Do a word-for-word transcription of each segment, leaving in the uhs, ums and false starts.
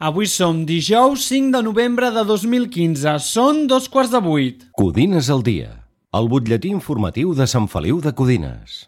Avui som dijous cinc de novembre de dos mil quinze. Són dos quarts de vuit. Codines al dia. El butlletí informatiu de Sant Feliu de Codines.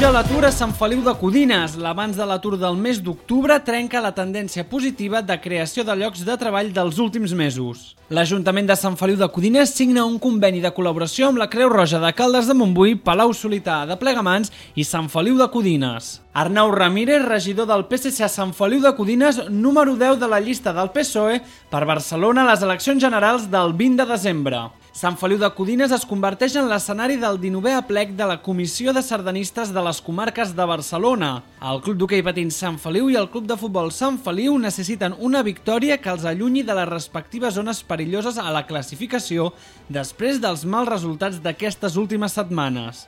Puja l'atur a Sant Feliu de Codines. L'avanç de l'atur del mes d'octubre trenca la tendència positiva de creació de llocs de treball dels últims mesos. L'Ajuntament de Sant Feliu de Codines signa un conveni de col·laboració amb la Creu Roja de Caldes de Montbui, Palau-solità de Plegamans i Sant Feliu de Codines. Arnau Ramírez, regidor del P S C a Sant Feliu de Codines, número deu de la llista del P S O E per Barcelona a les eleccions generals del vint de desembre. Sant Feliu de Codines es converteix en l'escenari del dinovè aplec de la Comissió de Sardanistes de les Comarques de Barcelona. El Club d'Hoquei Patins Sant Feliu i el Club de Futbol Sant Feliu necessiten una victòria que els allunyi de les respectives zones perilloses a la classificació després dels mals resultats d'aquestes últimes setmanes.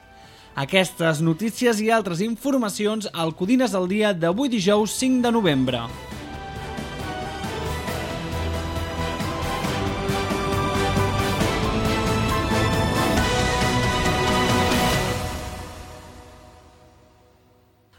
Aquestes notícies i altres informacions al Codines al dia d'avui dijous cinc de novembre.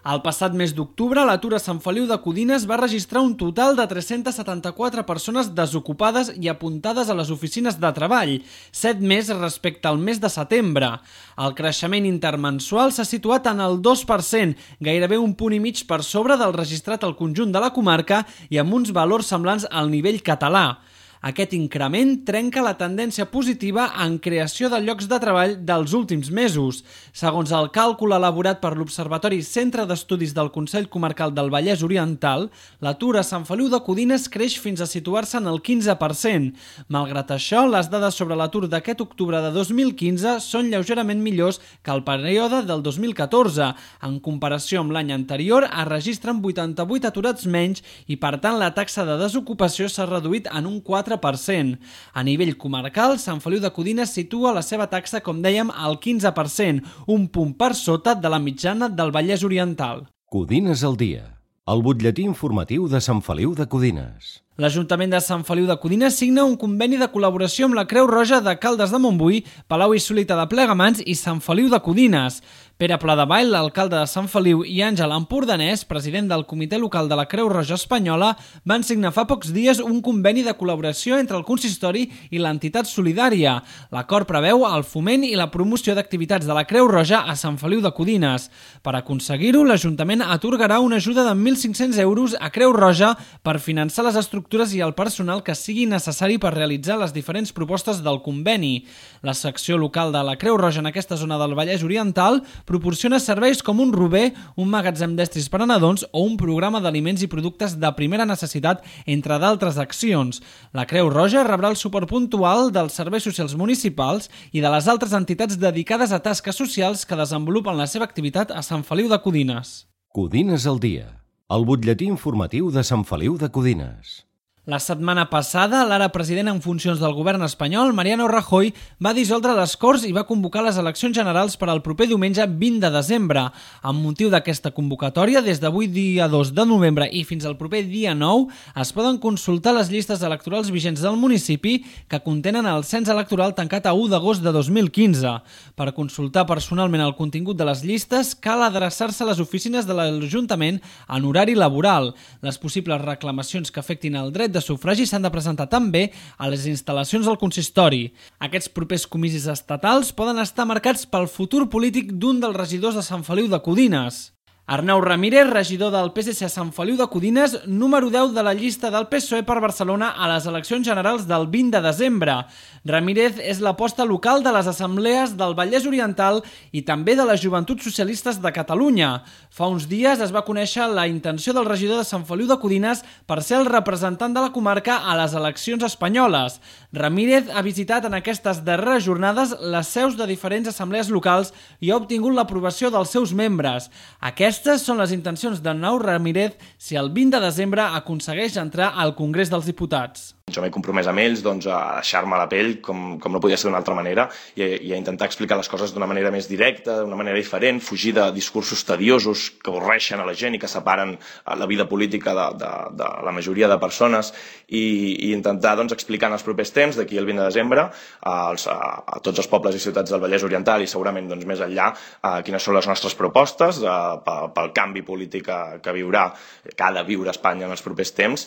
El passat mes d'octubre, l'atur a Sant Feliu de Codines va registrar un total de tres-centes setanta-quatre persones desocupades i apuntades a les oficines de treball, set més respecte al mes de setembre. El creixement intermensual s'ha situat en el dos per cent, gairebé un punt i mig per sobre del registrat al conjunt de la comarca i amb uns valors semblants al nivell català. Aquest increment trenca la tendència positiva en creació de llocs de treball dels últims mesos. Segons el càlcul elaborat per l'Observatori Centre d'Estudis del Consell Comarcal del Vallès Oriental, l'atur a Sant Feliu de Codines creix fins a situar-se en el quinze per cent. Malgrat això, les dades sobre l'atur d'aquest octubre de dos mil quinze són lleugerament millors que el període del dos mil catorze. En comparació amb l'any anterior, es registren vuitanta-vuit aturats menys i, per tant, la taxa de desocupació s'ha reduït en un quatre per cent. A nivell comarcal, Sant Feliu de Codines situa la seva taxa, com dèiem, al quinze per cent, un punt per sota de la mitjana del Vallès Oriental. Codines al dia. El butlletí informatiu de Sant Feliu de Codines. L'Ajuntament de Sant Feliu de Codines signa un conveni de col·laboració amb la Creu Roja de Caldes de Montbui, Palau-solità de Plegamans i Sant Feliu de Codines. Pere Pladevall, l'alcalde de Sant Feliu, i Àngel Empordanès, president del Comitè Local de la Creu Roja Espanyola, van signar fa pocs dies un conveni de col·laboració entre el consistori i l'entitat solidària. L'acord preveu el foment i la promoció d'activitats de la Creu Roja a Sant Feliu de Codines. Per aconseguir-ho, l'Ajuntament atorgarà una ajuda de mil cinc-cents euros a Creu Roja per finançar les estructures i el personal que sigui necessari per realitzar les diferents propostes del conveni. La secció local de la Creu Roja en aquesta zona del Vallès Oriental proporciona serveis com un rober, un magatzem d'estris per a nadons o un programa d'aliments i productes de primera necessitat, entre d'altres accions. La Creu Roja rebrà el suport puntual dels serveis socials municipals i de les altres entitats dedicades a tasques socials que desenvolupen la seva activitat a Sant Feliu de Codines. Codines al dia. El butlletí informatiu de Sant Feliu de Codines. La setmana passada, l'ara president en funcions del govern espanyol, Mariano Rajoy, va dissoldre les Corts i va convocar les eleccions generals per al proper diumenge vint de desembre. Amb motiu d'aquesta convocatòria, des d'avui dia dos de novembre i fins al proper dia nou, es poden consultar les llistes electorals vigents del municipi que contenen el cens electoral tancat a u d'agost de dos mil quinze. Per consultar personalment el contingut de les llistes, cal adreçar-se a les oficines de l'Ajuntament en horari laboral. Les possibles reclamacions que afectin el dret de sufragi s'han de presentar també a les instal·lacions del consistori. Aquests propers comicis estatals poden estar marcats pel futur polític d'un dels regidors de Sant Feliu de Codines. Arnau Ramírez, regidor del P S C a Sant Feliu de Codines, número deu de la llista del P S O E per Barcelona a les eleccions generals del vint de desembre. Ramírez és l'aposta local de les assemblees del Vallès Oriental i també de les Joventuts Socialistes de Catalunya. Fa uns dies es va conèixer la intenció del regidor de Sant Feliu de Codines per ser el representant de la comarca a les eleccions espanyoles. Ramírez ha visitat en aquestes darreres jornades les seus de diferents assemblees locals i ha obtingut l'aprovació dels seus membres. Aquest Aquestes són les intencions d'Arnau Ramírez si el vint de desembre aconsegueix entrar al Congrés dels Diputats. jo m'he compromès amb ells doncs, a deixar-me la pell com, com no podia ser d'una altra manera i, i a intentar explicar les coses d'una manera més directa, d'una manera diferent, fugir de discursos tediosos que avorreixen a la gent i que separen la vida política de, de, de la majoria de persones i, i intentar doncs, explicar en els propers temps, d'aquí el vint de desembre, als, a, a tots els pobles i ciutats del Vallès Oriental i segurament doncs, més enllà, a quines són les nostres propostes a, pel canvi polític que, que viurà, que ha de viure Espanya en els propers temps.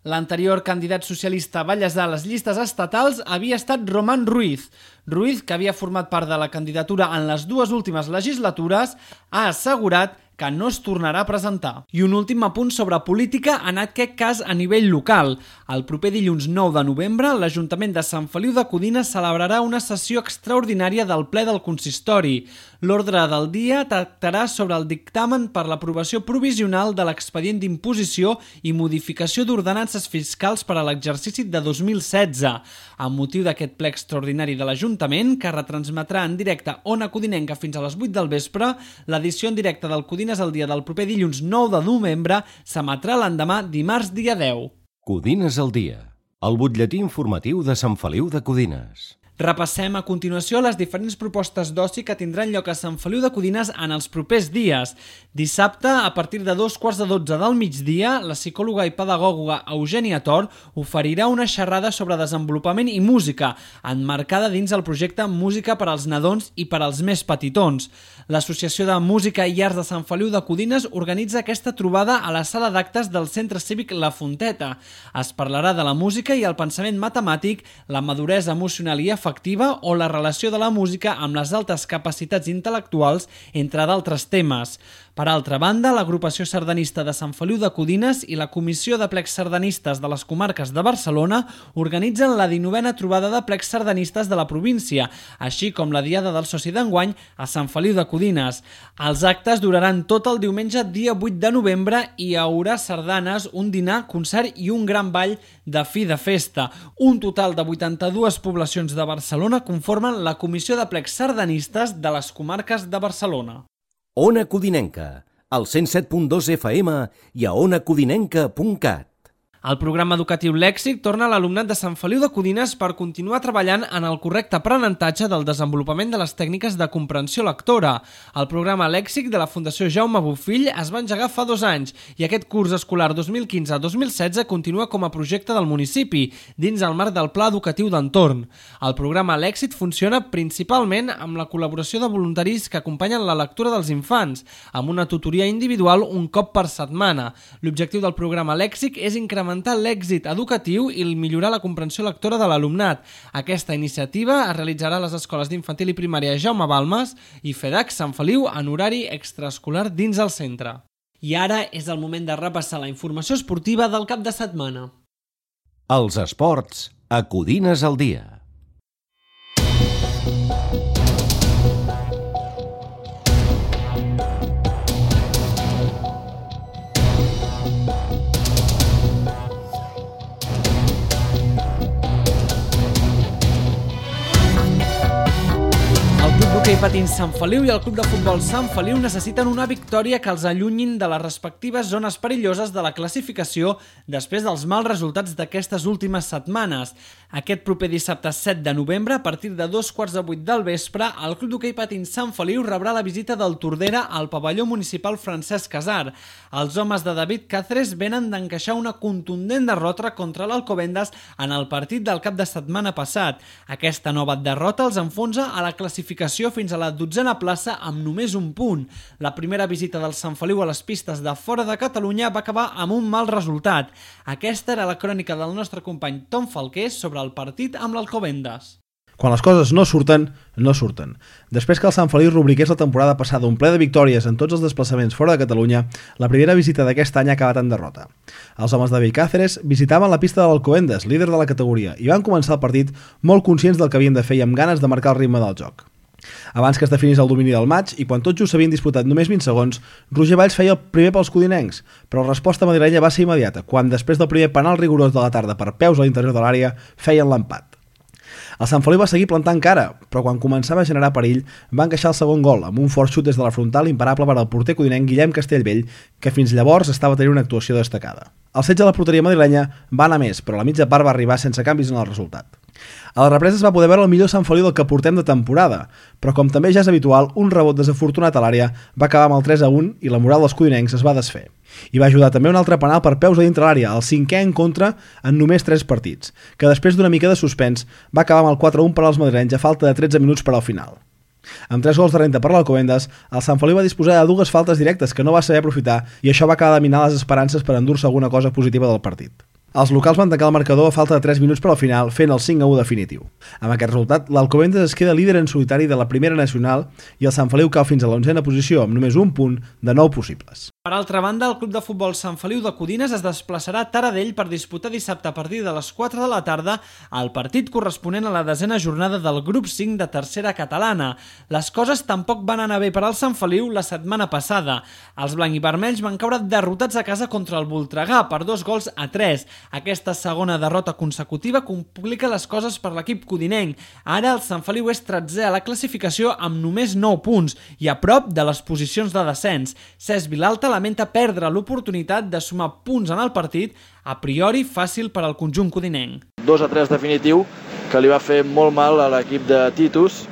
L'anterior candidat socialista vallesà a les llistes estatals havia estat Román Ruiz. Ruiz, que havia format part de la candidatura en les dues últimes legislatures, ha assegurat que no es tornarà a presentar. I un últim apunt sobre política, en aquest cas a nivell local. El proper dilluns nou de novembre, l'Ajuntament de Sant Feliu de Codines celebrarà una sessió extraordinària del ple del consistori. L'ordre del dia tractarà sobre el dictamen per l'aprovació provisional de l'expedient d'imposició i modificació d'ordenances fiscals per a l'exercici de dos mil setze. Amb motiu d'aquest ple extraordinari de l'Ajuntament, que retransmetrà en directe Ona Codinenca fins a les vuit del vespre, l'edició en directe del Codines al dia del proper dilluns nou de novembre s'emetrà l'endemà dimarts dia deu. Codines al dia, el butlletí informatiu de Sant Feliu de Codines. Repassem a continuació les diferents propostes d'oci que tindran lloc a Sant Feliu de Codines en els propers dies. Dissabte, a partir de dos quarts de dotze del migdia, la psicòloga i pedagoga Eugènia Tor oferirà una xerrada sobre desenvolupament i música, emmarcada dins el projecte Música per als nadons i per als més petitons. L'Associació de Música i Arts de Sant Feliu de Codines organitza aquesta trobada a la sala d'actes del Centre Cívic La Fonteta. Es parlarà de la música i el pensament matemàtic, la maduresa emocional i efectiva o la relació de la música amb les altes capacitats intel·lectuals, entre d'altres temes. Per altra banda, l'agrupació sardanista de Sant Feliu de Codines i la Comissió de Plecs Sardanistes de les Comarques de Barcelona organitzen la dinovena trobada de plecs sardanistes de la província, així com la Diada del Soci d'enguany a Sant Feliu de Codines. Els actes duraran tot el diumenge dia vuit de novembre i hi haurà sardanes, un dinar, concert i un gran ball de fi de festa. Un total de vuitanta-dues poblacions de Barcelona conformen la Comissió de Plecs Sardanistes de les Comarques de Barcelona. Ona Codinenca, al cent set punt dos F M i a ona codinenca punt cat. El programa educatiu Lèxic torna a l'alumnat de Sant Feliu de Codines per continuar treballant en el correcte aprenentatge del desenvolupament de les tècniques de comprensió lectora. El programa Lèxic de la Fundació Jaume Bofill es va engegar fa dos anys i aquest curs escolar dos mil quinze dos mil setze continua com a projecte del municipi, dins el marc del Pla Educatiu d'Entorn. El programa Lèxic funciona principalment amb la col·laboració de voluntaris que acompanyen la lectura dels infants, amb una tutoria individual un cop per setmana. L'objectiu del programa Lèxic és incrementar l'èxit educatiu i millorar la comprensió lectora de l'alumnat. Aquesta iniciativa es realitzarà a les escoles d'infantil i primària Jaume Balmes i FEDAC Sant Feliu en horari extraescolar dins el centre. I ara és el moment de repassar la informació esportiva del cap de setmana. Els esports a Codines al dia. L'hoquei patins Sant Feliu i el Club de Futbol Sant Feliu necessiten una victòria que els allunyin de les respectives zones perilloses de la classificació després dels mals resultats d'aquestes últimes setmanes. Aquest proper dissabte set de novembre, a partir de dos quarts de vuit del vespre, el Club d'Hoquei Patins Sant Feliu rebrà la visita del Tordera al pavelló municipal Francesc Casar. Els homes de David Cáceres venen d'encaixar una contundent derrota contra l'Alcobendas en el partit del cap de setmana passat. Aquesta nova derrota els enfonsa a la classificació fins a la dotzena plaça amb només un punt. La primera visita del Sant Feliu a les pistes de fora de Catalunya va acabar amb un mal resultat. Aquesta era la crònica del nostre company Tom Falqués sobre el partit amb l'Alcobendas. Quan les coses no surten, no surten. Després que el Sant Feliu rubriqués la temporada passada un ple de victòries en tots els desplaçaments fora de Catalunya, la primera visita d'aquest any ha acabat en derrota. Els homes de David Cáceres visitaven la pista de l'Alcobendas, líder de la categoria, i van començar el partit molt conscients del que havien de fer i amb ganes de marcar el ritme del joc. Abans que es definís el domini del maig i quan tot just s'havien disputat només vint segons, Roger Valls feia el primer pels codinencs, però la resposta madrilenya va ser immediata, quan després del primer penal rigorós de la tarda per peus a l'interior de l'àrea feien l'empat. El Sant Feliu va seguir plantant cara, però quan començava a generar perill va encaixar el segon gol amb un fort xut des de la frontal imparable per al porter codinenc Guillem Castellbell, que fins llavors estava tenint una actuació destacada. El setge de la porteria madrilenya va anar més, però la mitja part va arribar sense canvis en el resultat. A la represa es va poder veure el millor Sant Feliu del que portem de temporada, però com també ja és habitual, un rebot desafortunat a l'àrea va acabar amb el tres a un i la moral dels codinencs es va desfer. Hi va ajudar també un altre penal per peus a dintre l'àrea, el cinquè en contra en només tres partits, que després d'una mica de suspens va acabar amb el quatre a un per als madrilenys a falta de tretze minuts per al final. Amb tres gols de renta per l'Alcobendas, el Sant Feliu va disposar de dues faltes directes que no va saber aprofitar i això va acabar de minar les esperances per endur-se alguna cosa positiva del partit. Els locals van tancar el marcador a falta de tres minuts per al final, fent el cinc a u definitiu. Amb aquest resultat, l'Alcobendas es queda líder en solitari de la primera nacional i el Sant Feliu cau fins a l'onzena posició amb només un punt de nou possibles. Per altra banda, el Club de Futbol Sant Feliu de Codines es desplaçarà a Taradell per disputar dissabte a partir de les quatre de la tarda el partit corresponent a la desena jornada del grup cinc de tercera catalana. Les coses tampoc van anar bé per al Sant Feliu la setmana passada. Els blanc i vermells van caure derrotats a casa contra el Voltregà per dos gols a tres. Aquesta segona derrota consecutiva complica les coses per l'equip codinenc. Ara el Sant Feliu és tretzè a la classificació amb només nou punts i a prop de les posicions de descens. Cesc Vilalta lamenta perdre l'oportunitat de sumar punts en el partit, a priori fàcil per al conjunt codinenc. dos a tres definitiu que li va fer molt mal a l'equip de Titus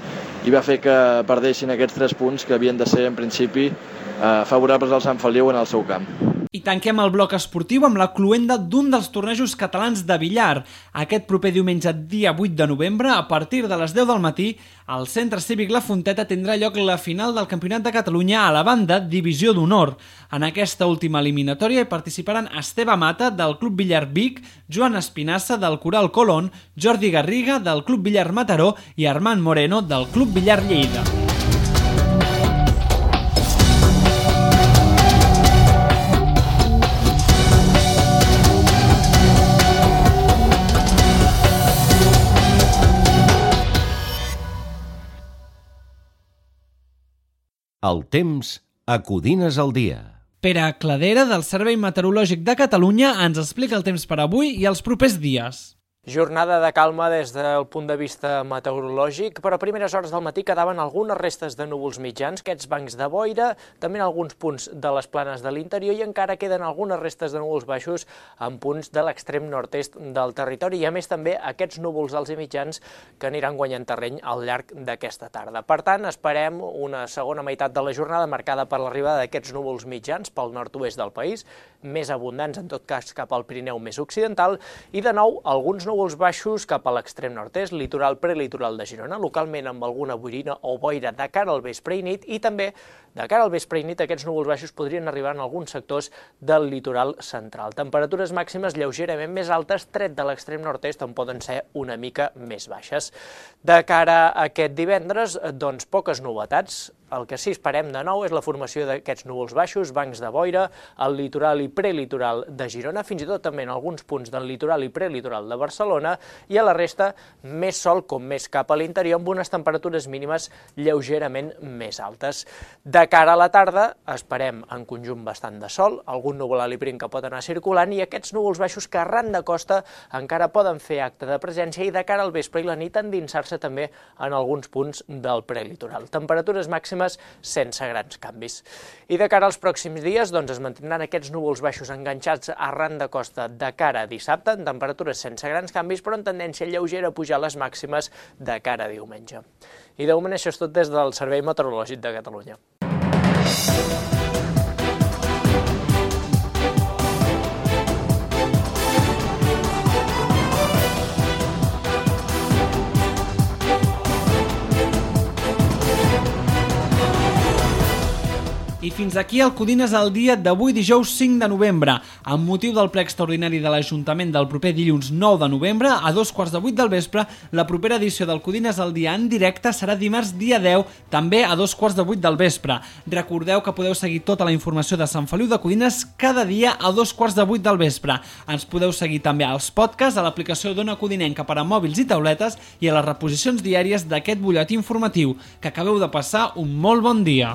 i va fer que perdessin aquests tres punts que havien de ser en principi eh, favorables al Sant Feliu en el seu camp. I tanquem el bloc esportiu amb la cloenda d'un dels tornejos catalans de billar. Aquest proper diumenge, dia vuit de novembre, a partir de les deu del matí, al Centre Cívic La Fonteta tindrà lloc la final del Campionat de Catalunya a la banda Divisió d'Honor. En aquesta última eliminatòria hi participaran Esteve Mata, del Club Billar Vic, Joan Espinassa, del Coral Colón, Jordi Garriga, del Club Billar Mataró i Armand Moreno, del Club Billar Lleida. El temps a Codines al dia. Pere Cladera, del Servei Meteorològic de Catalunya, ens explica el temps per avui i els propers dies. Jornada de calma des del punt de vista meteorològic, però a primeres hores del matí quedaven algunes restes de núvols mitjans, aquests bancs de boira, també en alguns punts de les planes de l'interior i encara queden algunes restes de núvols baixos en punts de l'extrem nord-est del territori i a més també aquests núvols alts i mitjans que aniran guanyant terreny al llarg d'aquesta tarda. Per tant, esperem una segona meitat de la jornada marcada per l'arribada d'aquests núvols mitjans pel nord-oest del país, més abundants en tot cas cap al Pirineu més occidental i de nou alguns núvols baixos cap a l'extrem nord-est, litoral prelitoral de Girona, localment amb alguna boirina o boira de cara al vespre i nit i també de cara al vespre i nit aquests núvols baixos podrien arribar en alguns sectors del litoral central. Temperatures màximes lleugerament més altes, tret de l'extrem nord-est on poden ser una mica més baixes. De cara a aquest divendres, doncs poques novetats. El que sí esperem de nou és la formació d'aquests núvols baixos, bancs de boira, al litoral i prelitoral de Girona, fins i tot també en alguns punts del litoral i prelitoral de Barcelona, i a la resta més sol com més cap a l'interior, amb unes temperatures mínimes lleugerament més altes. De cara a la tarda esperem en conjunt bastant de sol, algun núvol alt i prim que pot anar circulant, i aquests núvols baixos que arran de costa encara poden fer acte de presència i de cara al vespre i la nit endinsar-se també en alguns punts del prelitoral. Temperatures màximes sense grans canvis. I de cara als pròxims dies doncs, es mantindran aquests núvols baixos enganxats arran de costa de cara a dissabte, en temperatures sense grans canvis, però en tendència lleugera a pujar les màximes de cara a diumenge. I de moment això és tot des del Servei Meteorològic de Catalunya. I fins aquí el Codines al dia d'avui dijous cinc de novembre. Amb motiu del ple extraordinari de l'Ajuntament del proper dilluns nou de novembre, a dos quarts de vuit del vespre, la propera edició del Codines al dia en directe serà dimarts dia deu, també a dos quarts de vuit del vespre. Recordeu que podeu seguir tota la informació de Sant Feliu de Codines cada dia a dos quarts de vuit del vespre. Ens podeu seguir també als podcasts, a l'aplicació d'Ona Codinenca per a mòbils i tauletes i a les reposicions diàries d'aquest butlletí informatiu. Que acabeu de passar un molt bon dia.